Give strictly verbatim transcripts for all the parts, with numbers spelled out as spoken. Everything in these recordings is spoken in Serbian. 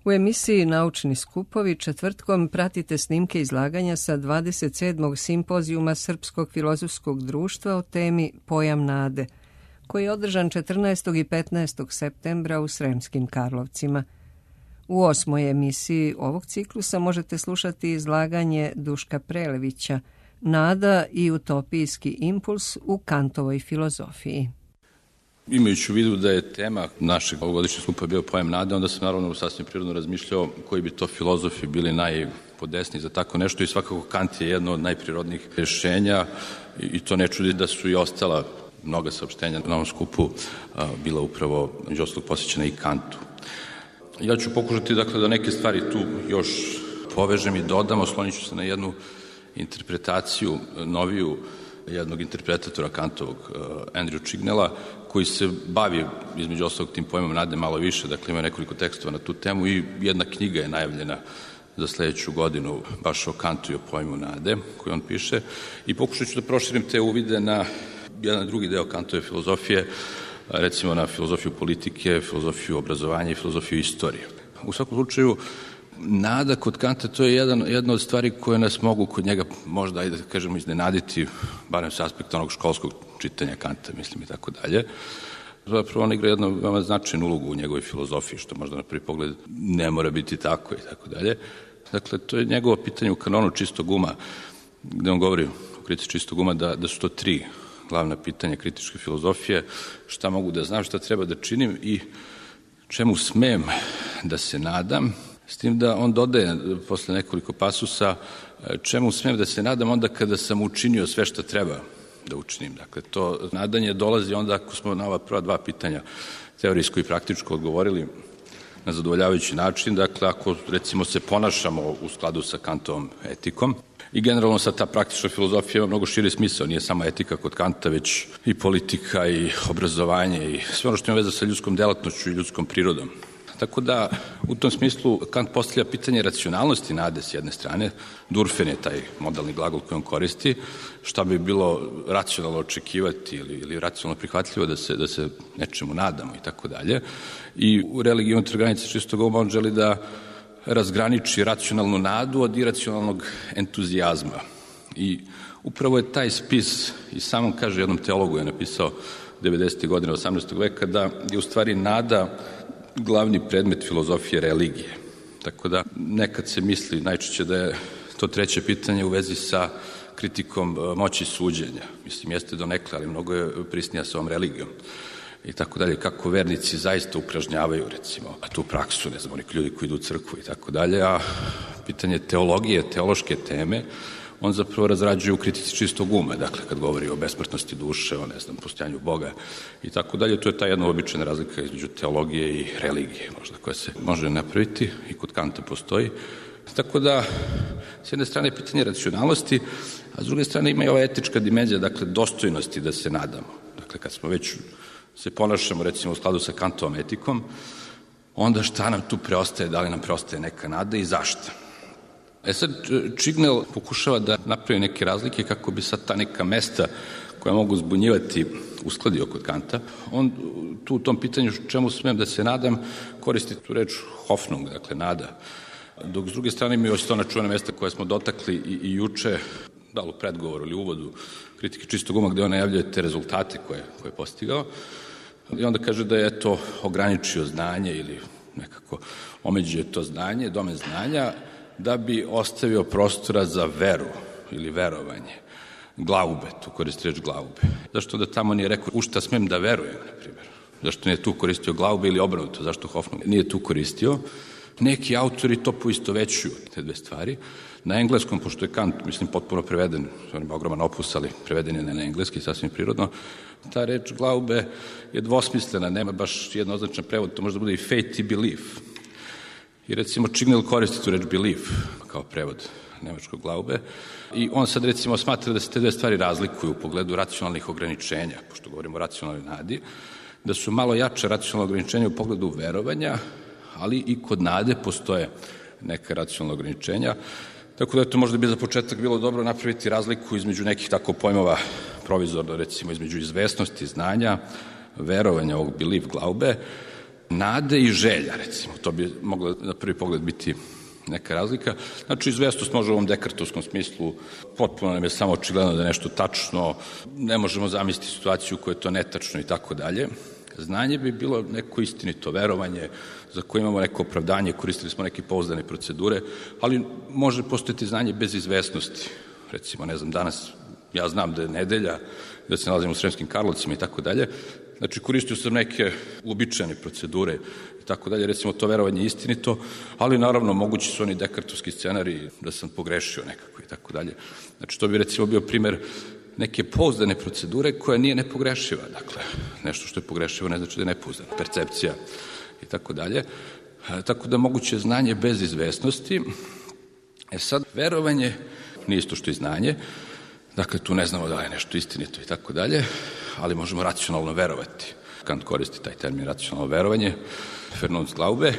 U emisiji Naučni skupovi četvrtkom pratite snimke izlaganja sa dvadeset sedmog simpozijuma Srpskog filozofskog društva o temi Pojam nade, koji je održan četrnaestog i petnaestog septembra u Sremskim Karlovcima. U osmoj emisiji ovog ciklusa možete slušati izlaganje Duška Prelevića Nada i utopijski impuls u Kantovoj filozofiji. Imajući u vidu da je tema našeg ovogodišnjeg skupa bio pojam nade, onda sam naravno sasvim prirodno razmišljao koji bi to filozofi bili najpodesniji za tako nešto i svakako Kant je jedno od najprirodnijih rješenja i to ne čudi da su i ostala mnoga saopštenja na ovom skupu a, bila upravo među ostalog posvećena i Kantu. Ja ću pokušati dakle da neke stvari tu još povežem i dodam, oslonit ću se na jednu interpretaciju noviju jednog interpretatora Kantovog, uh, Andrew Chignella, koji se bavi između ostalog tim pojmom nade malo više, dakle ima nekoliko tekstova na tu temu i jedna knjiga je najavljena za sledeću godinu baš o Kantu i o pojmu nade koju on piše i pokušat ću da proširim te uvide na jedan drugi deo Kantove filozofije, recimo na filozofiju politike, filozofiju obrazovanja i filozofiju istorije. U svakom slučaju, nada kod Kanta to je jedan, jedna od stvari koje nas mogu kod njega možda, ajde da kažemo, iznenaditi, barem sa aspekta onog školskog čitanja Kanta, mislim i tako dalje. Zapravo on igra jednu veoma značajnu ulogu u njegovoj filozofiji, što možda na prvi pogled ne mora biti tako i tako dalje. Dakle, to je njegovo pitanje u kanonu čistog uma, gde on govori u kritici čistog uma da, da su to tri glavna pitanja kritičke filozofije, šta mogu da znam, šta treba da činim i čemu smem da se nadam, s tim da on dodaje posle nekoliko pasusa čemu smem da se nadam onda kada sam učinio sve što treba da učinim. Dakle, to nadanje dolazi onda ako smo na ova prva dva pitanja teorijsko i praktičko odgovorili na zadovoljavajući način, dakle ako recimo se ponašamo u skladu sa Kantovom etikom, i generalno sad ta praktična filozofija ima mnogo širi smisao, nije samo etika kod Kanta, već i politika i obrazovanje i sve ono što ima veze sa ljudskom delatnošću i ljudskom prirodom. Tako da, u tom smislu, Kant postavlja pitanje racionalnosti nade s jedne strane, Durfen je taj modalni glagol koji on koristi, šta bi bilo racionalno očekivati ili, ili racionalno prihvatljivo da se, da se nečemu nadamo i tako dalje. I u religiji unutar granice čistog uma on želi da razgraniči racionalnu nadu od iracionalnog entuzijazma. I upravo je taj spis, i sam on kaže jednom teologu je napisao devedesetih godina osamnaestog veka, da je u stvari nada glavni predmet filozofije religije. Tako da nekad se misli najčešće da je to treće pitanje u vezi sa kritikom moći suđenja. Mislim, jeste donekle, ali mnogo je prisnija sa ovom religijom. I tako dalje, kako vernici zaista upražnjavaju, recimo, a tu praksu, ne znam, oni ljudi koji idu u crkvu i tako dalje, a pitanje teologije, teološke teme, on zapravo razrađuje u kritici čistog uma, dakle, kad govori o besmrtnosti duše, o, ne znam, postojanju Boga i tako dalje, to je ta jedna običajna razlika između teologije i religije, možda, koja se može napraviti i kod Kanta postoji. Tako da, s jedne strane je pitanje racionalnosti, a s druge strane ima i ova etička dimenzija, dakle, dostojnosti da se nadamo. Dakle, kad smo već se ponašamo, recimo, u skladu sa Kantovom etikom, onda šta nam tu preostaje, da li nam preostaje neka nada i zašto? E sad, Chignell pokušava da napravi neke razlike kako bi sad ta neka mesta koja mogu zbunjivati uskladio kod Kanta. On tu u tom pitanju čemu smem da se nadam koristi tu reč Hoffnung, dakle nada. Dok s druge strane ima još to ona čuvena mesta koja smo dotakli i, i juče, da li u predgovoru ili uvodu kritike čistog uma, gde on najavljuje te rezultate koje, koje je postigao. I onda kaže da je to ograničio znanje ili nekako omeđuje to znanje, domen znanja, da bi ostavio prostora za veru ili verovanje. Glaube, tu koristi reč glaube. Zašto da tamo nije rekao u šta smem da verujem, na primjer? Zašto nije tu koristio glaube ili obrnuto? Zašto Hoffnung nije tu koristio? Neki autori to poistovećuju, te dve stvari. Na engleskom, pošto je Kant, mislim, potpuno preveden, on ima ogroman opus, ali preveden je na engleski, sasvim prirodno, ta reč glaube je dvosmislena, nema baš jednoznačan prevod, to može da bude i faith i belief. I recimo Chignell koristi tu reč belief kao prevod nemačkog glaube i on sad recimo smatra da se te dve stvari razlikuju u pogledu racionalnih ograničenja, pošto govorimo o racionalnoj nadi, da su malo jače racionalne ograničenja u pogledu verovanja, ali i kod nade postoje neka racionalna ograničenja. Tako da je to možda bi za početak bilo dobro napraviti razliku između nekih tako pojmova provizorno, recimo između izvesnosti, znanja, verovanja, ovog belief, glaube, nade i želja, recimo, to bi mogla na prvi pogled biti neka razlika. Znači, izvesnost može u ovom dekartovskom smislu, potpuno nam je samo očigledno da je nešto tačno, ne možemo zamisliti situaciju koja je to netačno i tako dalje. Znanje bi bilo neko istinito verovanje za koje imamo neko opravdanje, koristili smo neke pouzdane procedure, ali može postojati znanje bez izvesnosti. Recimo, ne znam, danas ja znam da je nedelja, da se nalazimo u Sremskim Karlovcima i tako dalje. Znači, koristio sam neke uobičajene procedure i tako dalje. Recimo, to verovanje je istinito, ali naravno mogući su oni dekartovski scenariji da sam pogrešio nekako i tako dalje. Znači, to bi recimo bio primer neke pouzdane procedure koja nije nepogrešiva. Dakle, nešto što je pogrešivo ne znači da je nepouzdana. Percepcija i tako dalje. Tako da moguće znanje bez izvesnosti. E sad, verovanje nije isto što i znanje. Dakle, tu ne znamo da je nešto istinito i tako dalje, ali možemo racionalno verovati. Kant koristi taj termin racionalno verovanje, Vernunftglaube,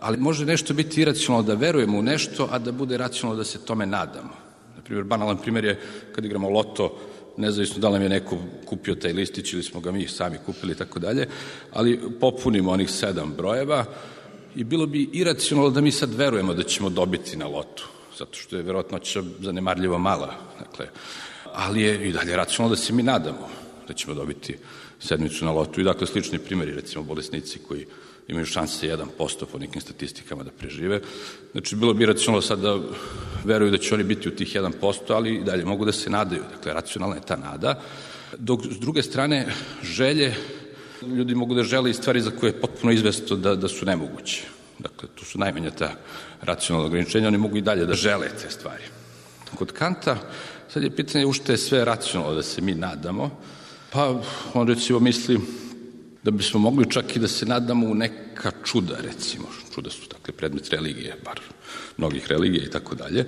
ali može nešto biti iracionalno da verujemo u nešto, a da bude racionalno da se tome nadamo. Naprimjer, banalan primjer je kad igramo loto, nezavisno da li nam je neko kupio taj listić ili smo ga mi sami kupili i tako dalje, ali popunimo onih sedam brojeva i bilo bi iracionalno da mi sad verujemo da ćemo dobiti na lotu, zato što je verovatnoća zanemarljivo mala. Dakle, ali je i dalje racionalno da se mi nadamo da ćemo dobiti sedmicu na lotu. I dakle, slični primjeri, recimo bolesnici koji imaju šanse jedan posto po nekim statistikama da prežive. Znači, bilo bi racionalno sad da veruju da će oni biti u tih jedan posto, ali i dalje mogu da se nadaju. Dakle, racionalna je ta nada. Dok, s druge strane, želje, ljudi mogu da žele i stvari za koje je potpuno izvesno da, da su nemoguće. Dakle, tu su najmanja ta racionalna ograničenja, oni mogu i dalje da žele te stvari. Kod Kanta, sad je pitanje u što je sve racionalno da se mi nadamo, pa on recimo misli da bismo mogli čak i da se nadamo u neka čuda, recimo. Čuda su, dakle, predmet religije, bar mnogih religija i tako dalje.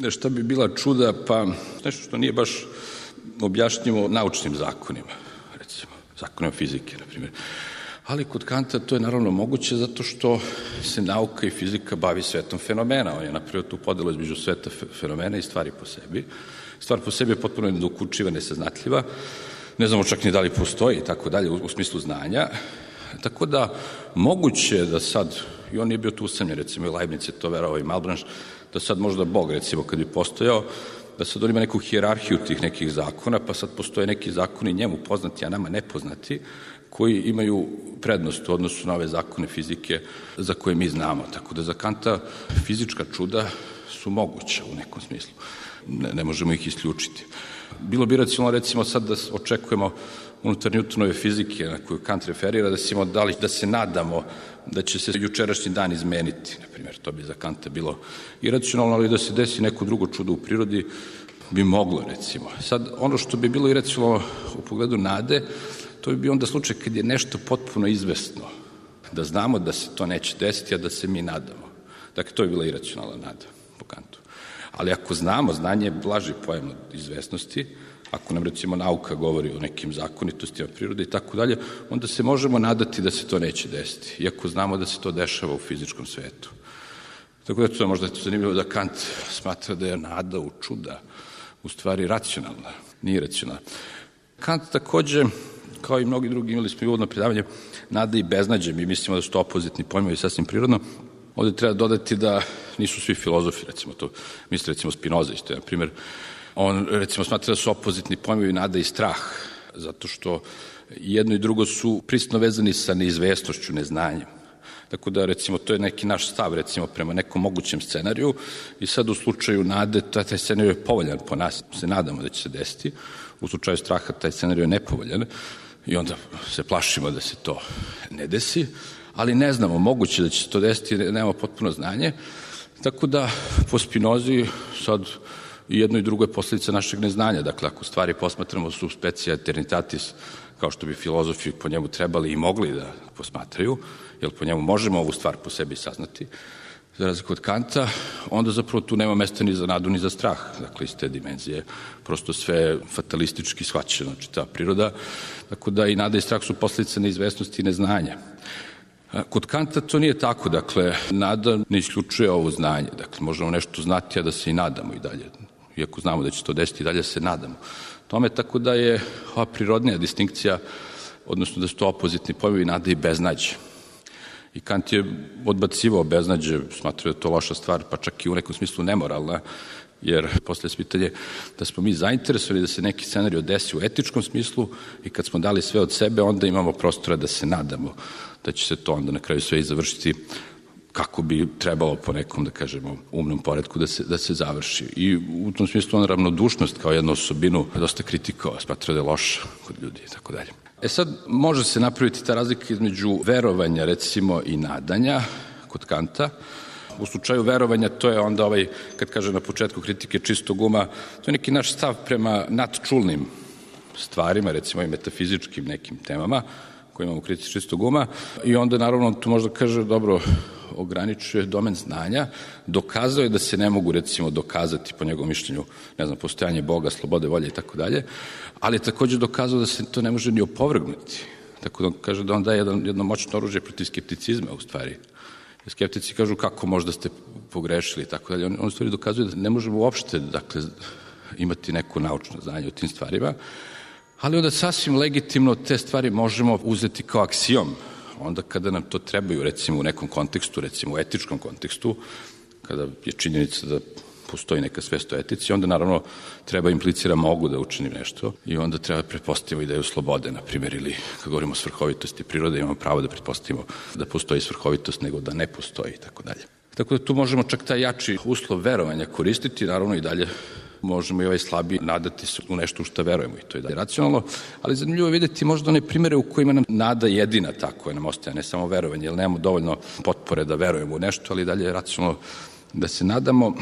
Šta bi bila čuda? Pa nešto što nije baš objašnjivo naučnim zakonima, recimo, zakonima fizike, na primjer. Ali kod Kanta to je naravno moguće zato što se nauka i fizika bavi svetom fenomena. On je napravio tu podelu između sveta fenomena i stvari po sebi. Stvar po sebi je potpuno nedokučiva, nesaznatljiva. Ne znamo čak ni da li postoji i tako dalje u smislu znanja. Tako da moguće da sad, i on nije bio tu usamljen, recimo i Leibniz je to verovao i Malebranche, da sad možda Bog, recimo, kad bi postojao, da sad on ima neku hijerarhiju tih nekih zakona, pa sad postoje neki zakoni njemu poznati, a nama nepoznati, koji imaju prednost u odnosu na ove zakone fizike za koje mi znamo. Tako da za Kanta fizička čuda su moguća u nekom smislu. Ne, ne možemo ih isključiti. Bilo bi racionalno, recimo, sad da očekujemo unutar Newtonove fizike na koju Kant referira, da, simo, da, li, da se nadamo da će se jučerašnji dan izmeniti. Naprimjer, to bi za Kanta bilo iracionalno, ali da se desi neko drugo čudo u prirodi bi moglo, recimo. Sad, ono što bi bilo iracionalno u pogledu nade, to bi bio onda slučaj kad je nešto potpuno izvesno, da znamo da se to neće desiti, a da se mi nadamo. Dakle, to je bila iracionalna nada po Kantu. Ali ako znamo, znanje je blaži pojam od izvesnosti, ako nam recimo nauka govori o nekim zakonitostima prirode i tako dalje, onda se možemo nadati da se to neće desiti, iako znamo da se to dešava u fizičkom svetu. Tako da to je možda zanimljivo da Kant smatra da je nada u čuda u stvari racionalna, nije racionalna. Kant takođe, kao i mnogi drugi, imali smo i uvodno predavanje, nada i beznađe, mi mislimo da su to opozitni pojmovi sasvim prirodno. Ovde treba dodati da nisu svi filozofi, recimo to, misli recimo Spinoza isto, na primjer, on recimo smatra da su opozitni pojmovi nada i strah, zato što jedno i drugo su prisno vezani sa neizvesnošću, neznanjem. Tako da, recimo, to je neki naš stav, recimo, prema nekom mogućem scenariju i sad u slučaju nade, taj scenarij je povoljan po nas, se nadamo da će se desiti, u slučaju straha taj scenarij je nepovoljan i onda se plašimo da se to ne desi, ali ne znamo, moguće da će se to desiti, nemamo potpuno znanje, tako da po Spinozi sad i jedno i drugo je posljedica našeg neznanja. Dakle, ako stvari posmatramo sub specia eternitatis, kao što bi filozofi po njemu trebali i mogli da posmatraju, jer po njemu možemo ovu stvar po sebi saznati, za razliku od Kanta, onda zapravo tu nema mesta ni za nadu ni za strah. Dakle, iz te dimenzije prosto sve fatalistički shvaćeno, znači ta priroda. Tako da i nada i strah su posljedice neizvesnosti i neznanja. Kod Kanta to nije tako, dakle, nada ne isključuje ovo znanje. Dakle, možemo nešto znati, a da se i nadamo i dalje. Iako znamo da će to desiti, i dalje se nadamo. Tome tako da je ova prirodnija distinkcija, odnosno da su to opozitni pojmovi nada i beznađe. I Kant je odbacivao beznađe, smatrao da je to loša stvar, pa čak i u nekom smislu nemoralna, jer posle je pitanje da smo mi zainteresovani da se neki scenario desi u etičkom smislu i kad smo dali sve od sebe, onda imamo prostora da se nadamo da će se to onda na kraju sve i završiti kako bi trebalo po nekom, da kažemo, umnom poretku da se, da se završi. I u tom smislu on ravnodušnost kao jednu osobinu dosta kritikao, smatrao da je loša kod ljudi i tako dalje. E sad, može se napraviti ta razlika između verovanja, recimo, i nadanja kod Kanta. U slučaju verovanja, to je onda ovaj, kad kaže na početku kritike čistog uma, to je neki naš stav prema nadčulnim stvarima, recimo i metafizičkim nekim temama koje imamo u kritici čistog uma, i onda naravno tu možda kaže, dobro, ograničuje domen znanja, dokazao je da se ne mogu, recimo, dokazati po njegovom mišljenju, ne znam, postojanje Boga, slobode, volje i tako dalje, ali je takođe dokazao da se to ne može ni opovrgnuti. Tako da on kaže da on daje jedan, jedno moćno oružje protiv skepticizma, u stvari. Skeptici kažu kako možda ste pogrešili i tako dalje. On, on u stvari dokazuje da ne možemo uopšte, dakle, imati neko naučno znanje o tim stvarima, ali onda sasvim legitimno te stvari možemo uzeti kao aksijom. Onda kada nam to trebaju, recimo u nekom kontekstu, recimo u etičkom kontekstu, kada je činjenica da postoji neka svest o etici, onda naravno treba implicira mogu da učinim nešto i onda treba pretpostavimo ideju slobode, na primjer, ili kad govorimo o svrhovitosti prirode, imamo pravo da pretpostavimo da postoji svrhovitost nego da ne postoji i tako dalje. Tako da tu možemo čak taj jači uslov verovanja koristiti, naravno i dalje možemo i ovaj slabi nadati se u nešto u što verujemo i to je dalje racionalno, ali zanimljivo je vidjeti možda one primere u kojima nam nada jedina ta koja nam ostaje, ne samo verovanje, jer nemamo dovoljno potpore da verujemo u nešto, ali dalje je racionalno da se nadamo.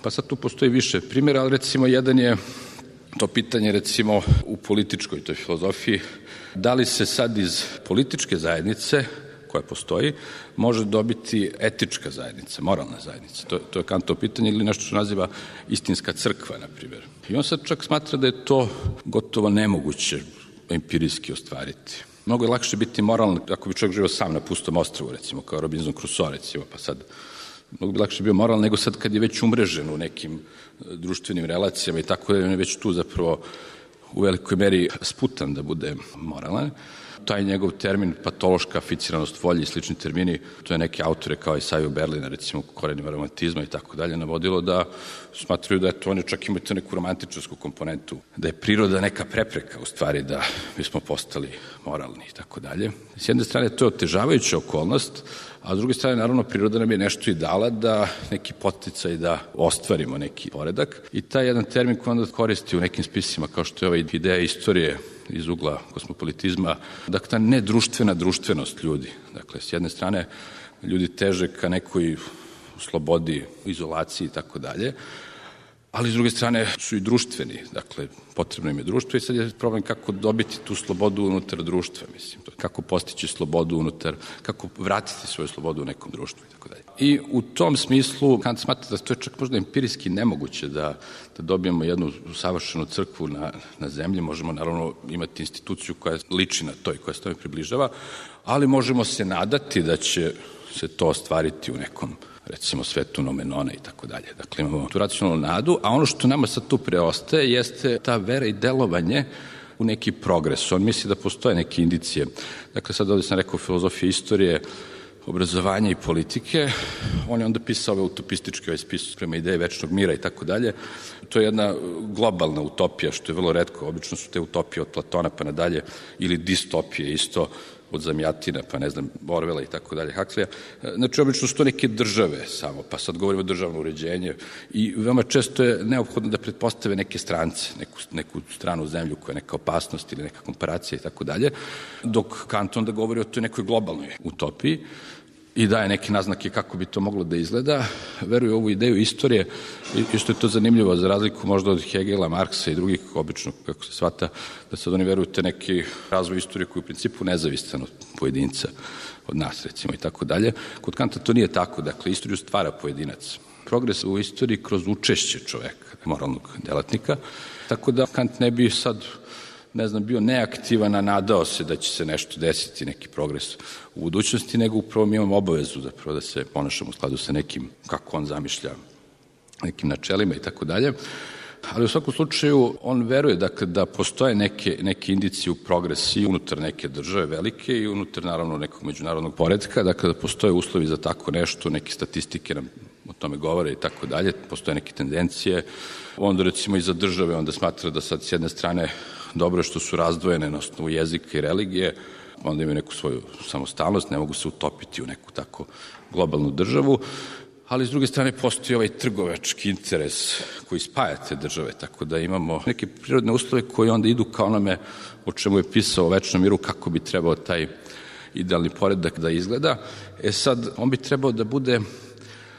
Pa sad tu postoji više primjera, ali recimo jedan je to pitanje recimo u političkoj toj filozofiji, da li se sad iz političke zajednice koja postoji, može dobiti etička zajednica, moralna zajednica. To, to je Kantovo pitanje ili nešto što naziva istinska crkva, na primjer. I on sad čak smatra da je to gotovo nemoguće empirijski ostvariti. Mnogo je lakše biti moralan ako bi čovjek živio sam na pustom ostrvu, recimo, kao Robinson Crusoe, recimo, pa sad mnogo bi lakše bio moralan nego sad kad je već umrežen u nekim društvenim relacijama i tako da je već tu zapravo u velikoj meri sputan da bude moralan. Taj njegov termin patološka aficiranost volje i slični termini, to je neke autore kao i Saju Berlina, recimo Korenima romantizma i tako dalje, navodilo da smatraju da je to, oni čak imaju to neku romantičarsku komponentu, da je priroda neka prepreka u stvari da bismo postali moralni i tako dalje. S jedne strane to je otežavajuća okolnost, a s druge strane naravno priroda nam je nešto i dala da neki poticaj da ostvarimo neki poredak i taj jedan termin koji onda koristi u nekim spisima kao što je ova ideja istorije iz ugla kosmopolitizma, dakle ta nedruštvena društvenost ljudi. Dakle, s jedne strane ljudi teže ka nekoj slobodi, izolaciji i tako dalje, ali s druge strane su i društveni, dakle potrebno im je društvo i sad je problem kako dobiti tu slobodu unutar društva, mislim, kako postići slobodu unutar, kako vratiti svoju slobodu u nekom društvu i tako dalje. I u tom smislu Kant smatra da to je čak možda empirijski nemoguće da, da dobijemo jednu savršenu crkvu na, na zemlji, možemo naravno imati instituciju koja liči na to i koja se tome približava, ali možemo se nadati da će se to ostvariti u nekom recimo svetu Nomenona i tako dalje. Dakle, imamo tu racionalnu nadu, a ono što nama sad tu preostaje jeste ta vera i delovanje u neki progres. On misli da postoje neke indicije. Dakle, sad ovdje sam rekao filozofije istorije, obrazovanja i politike. On je onda pisao ove utopističke ovaj spis prema ideje večnog mira i tako dalje. To je jedna globalna utopija, što je vrlo retko. Obično su te utopije od Platona pa nadalje, ili distopije isto, od Zamjatina, pa ne znam, Orwella i tako dalje, Huxleya. Znači, obično su to neke države samo, pa sad govorimo o državno uređenje i veoma često je neophodno da pretpostave neke strance, neku, neku stranu zemlju koja je neka opasnost ili neka komparacija i tako dalje, dok Kant onda govori o toj nekoj globalnoj utopiji i daje neke naznake kako bi to moglo da izgleda, veruje u ovu ideju istorije i što je to zanimljivo, za razliku možda od Hegela, Marksa i drugih, obično, kako se shvata, da sad oni veruju te neki razvoj istorije koji je u principu nezavistan od pojedinca, od nas recimo i tako dalje. Kod Kanta to nije tako, dakle, istoriju stvara pojedinac. Progres u istoriji kroz učešće čoveka, moralnog delatnika, tako da Kant ne bi sad ne znam, bio neaktivan, a nadao se da će se nešto desiti, neki progres u budućnosti, nego upravo mi imamo obavezu zapravo da se ponašamo u skladu sa nekim, kako on zamišlja, nekim načelima i tako dalje. Ali u svakom slučaju on veruje dakle, da postoje neke, neke indicije u progresiji unutar neke države velike i unutar naravno nekog međunarodnog poretka, dakle da postoje uslovi za tako nešto, neke statistike nam o tome govore i tako dalje, postoje neke tendencije. Onda recimo i za države onda smatra da sad s jedne strane dobro je što su razdvojene na osnovu jezika i religije, onda imaju neku svoju samostalnost, ne mogu se utopiti u neku tako globalnu državu, ali s druge strane postoji ovaj trgovački interes koji spaja te države, tako da imamo neke prirodne uslove koji onda idu ka onome o čemu je pisao o večnom miru, kako bi trebao taj idealni poredak da izgleda. E sad, on bi trebao da bude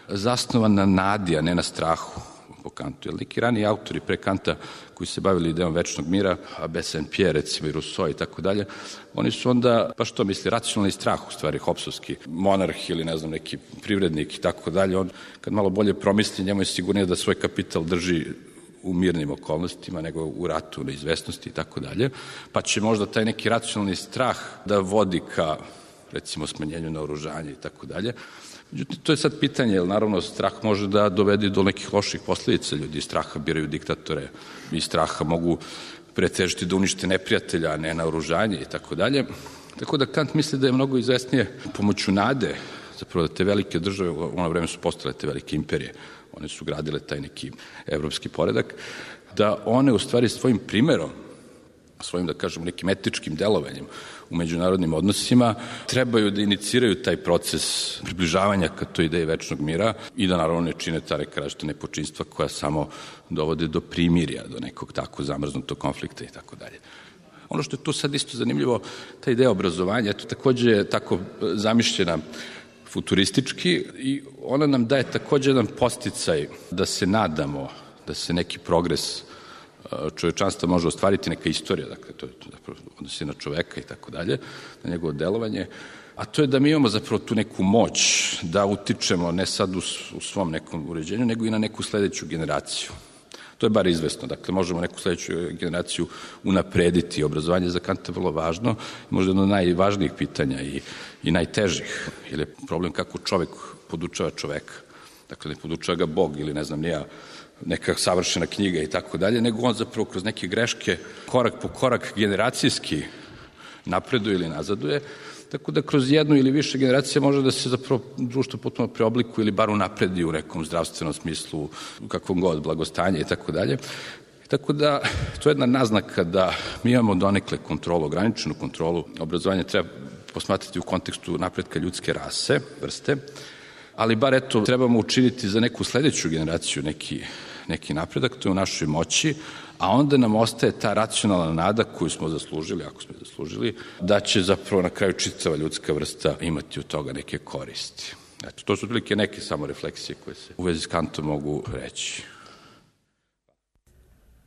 zasnovan na nadi, a ne na strahu po Kantu. Jer neki raniji autori pre Kanta koji se bavili idejom večnog mira, a Bassan-Pierre, recimo i Rousseau i tako dalje, oni su onda, pa što misli, racionalni strah, u stvari, Hobbesovski monarh ili ne znam, neki privrednik i tako dalje, on kad malo bolje promisli, njemu je sigurnije da svoj kapital drži u mirnim okolnostima, nego u ratu, neizvesnosti i tako dalje, pa će možda taj neki racionalni strah da vodi ka, recimo, smanjenju naoružanja i tako dalje. Međutim, to je sad pitanje, jer naravno strah može da dovede do nekih loših posljedica. Ljudi iz straha biraju diktatore, iz straha mogu pretežiti da unište neprijatelja, a ne naoružanje i tako dalje. Tako da Kant misli da je mnogo izvesnije pomoću nade, zapravo da te velike države, u ono vreme su postale te velike imperije, one su gradile taj neki evropski poredak, da one u stvari svojim primerom, svojim, da kažemo, nekim etičkim delovanjem u međunarodnim odnosima, trebaju da iniciraju taj proces približavanja ka toj ideji večnog mira i da naravno ne čine ta neka različita nepočinstva koja samo dovode do primirja, do nekog tako zamrznutog konflikta i tako dalje. Ono što je tu sad isto zanimljivo, ta ideja obrazovanja, eto takođe je tako zamišljena futuristički i ona nam daje takođe jedan podsticaj da se nadamo da se neki progres čovečanstva može ostvariti, neka istorija, dakle, to je zapravo odnosi na čoveka i tako dalje, na njegovo delovanje, a to je da mi imamo zapravo tu neku moć da utičemo ne sad u, u svom nekom uređenju, nego i na neku sledeću generaciju. To je bar izvesno, dakle, možemo neku sledeću generaciju unaprediti. Obrazovanje za Kanta je vrlo važno, možda jedno od najvažnijih pitanja i, i najtežih, jer je problem kako čovek podučava čoveka. Dakle, ne podučava ga Bog ili ne znam nija neka savršena knjiga i tako dalje, nego on zapravo kroz neke greške korak po korak generacijski napreduje ili nazaduje, tako da kroz jednu ili više generacija može da se zapravo društvo potpuno preoblikuje ili bar unapredi u nekom zdravstvenom smislu, u kakvom god, blagostanje i tako dalje. Tako da, to je jedna naznaka da mi imamo donekle kontrolu, ograničenu kontrolu. Obrazovanje treba posmatrati u kontekstu napretka ljudske rase, vrste, ali bar eto, trebamo učiniti za neku sledeću generaciju neki, neki napredak, to je u našoj moći, a onda nam ostaje ta racionalna nada koju smo zaslužili, ako smo zaslužili, da će zapravo na kraju čitava ljudska vrsta imati od toga neke koristi. Eto, to su otprilike neke samo refleksije koje se u vezi s Kantom mogu reći.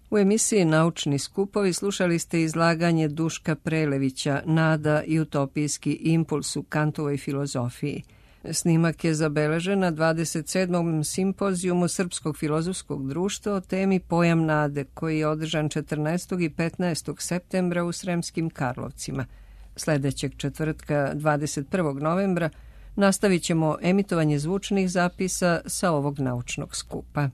U emisiji Naučni skupovi slušali ste izlaganje Duška Prelevića Nada i utopijski impuls u Kantovoj filozofiji. Snimak je zabeležen na dvadeset sedmom simpozijumu Srpskog filozofskog društva o temi Pojam nade, koji je održan četrnaestog i petnaestog septembra u Sremskim Karlovcima. Sledećeg četvrtka, dvadeset prvog novembra, nastavit ćemo emitovanje zvučnih zapisa sa ovog naučnog skupa.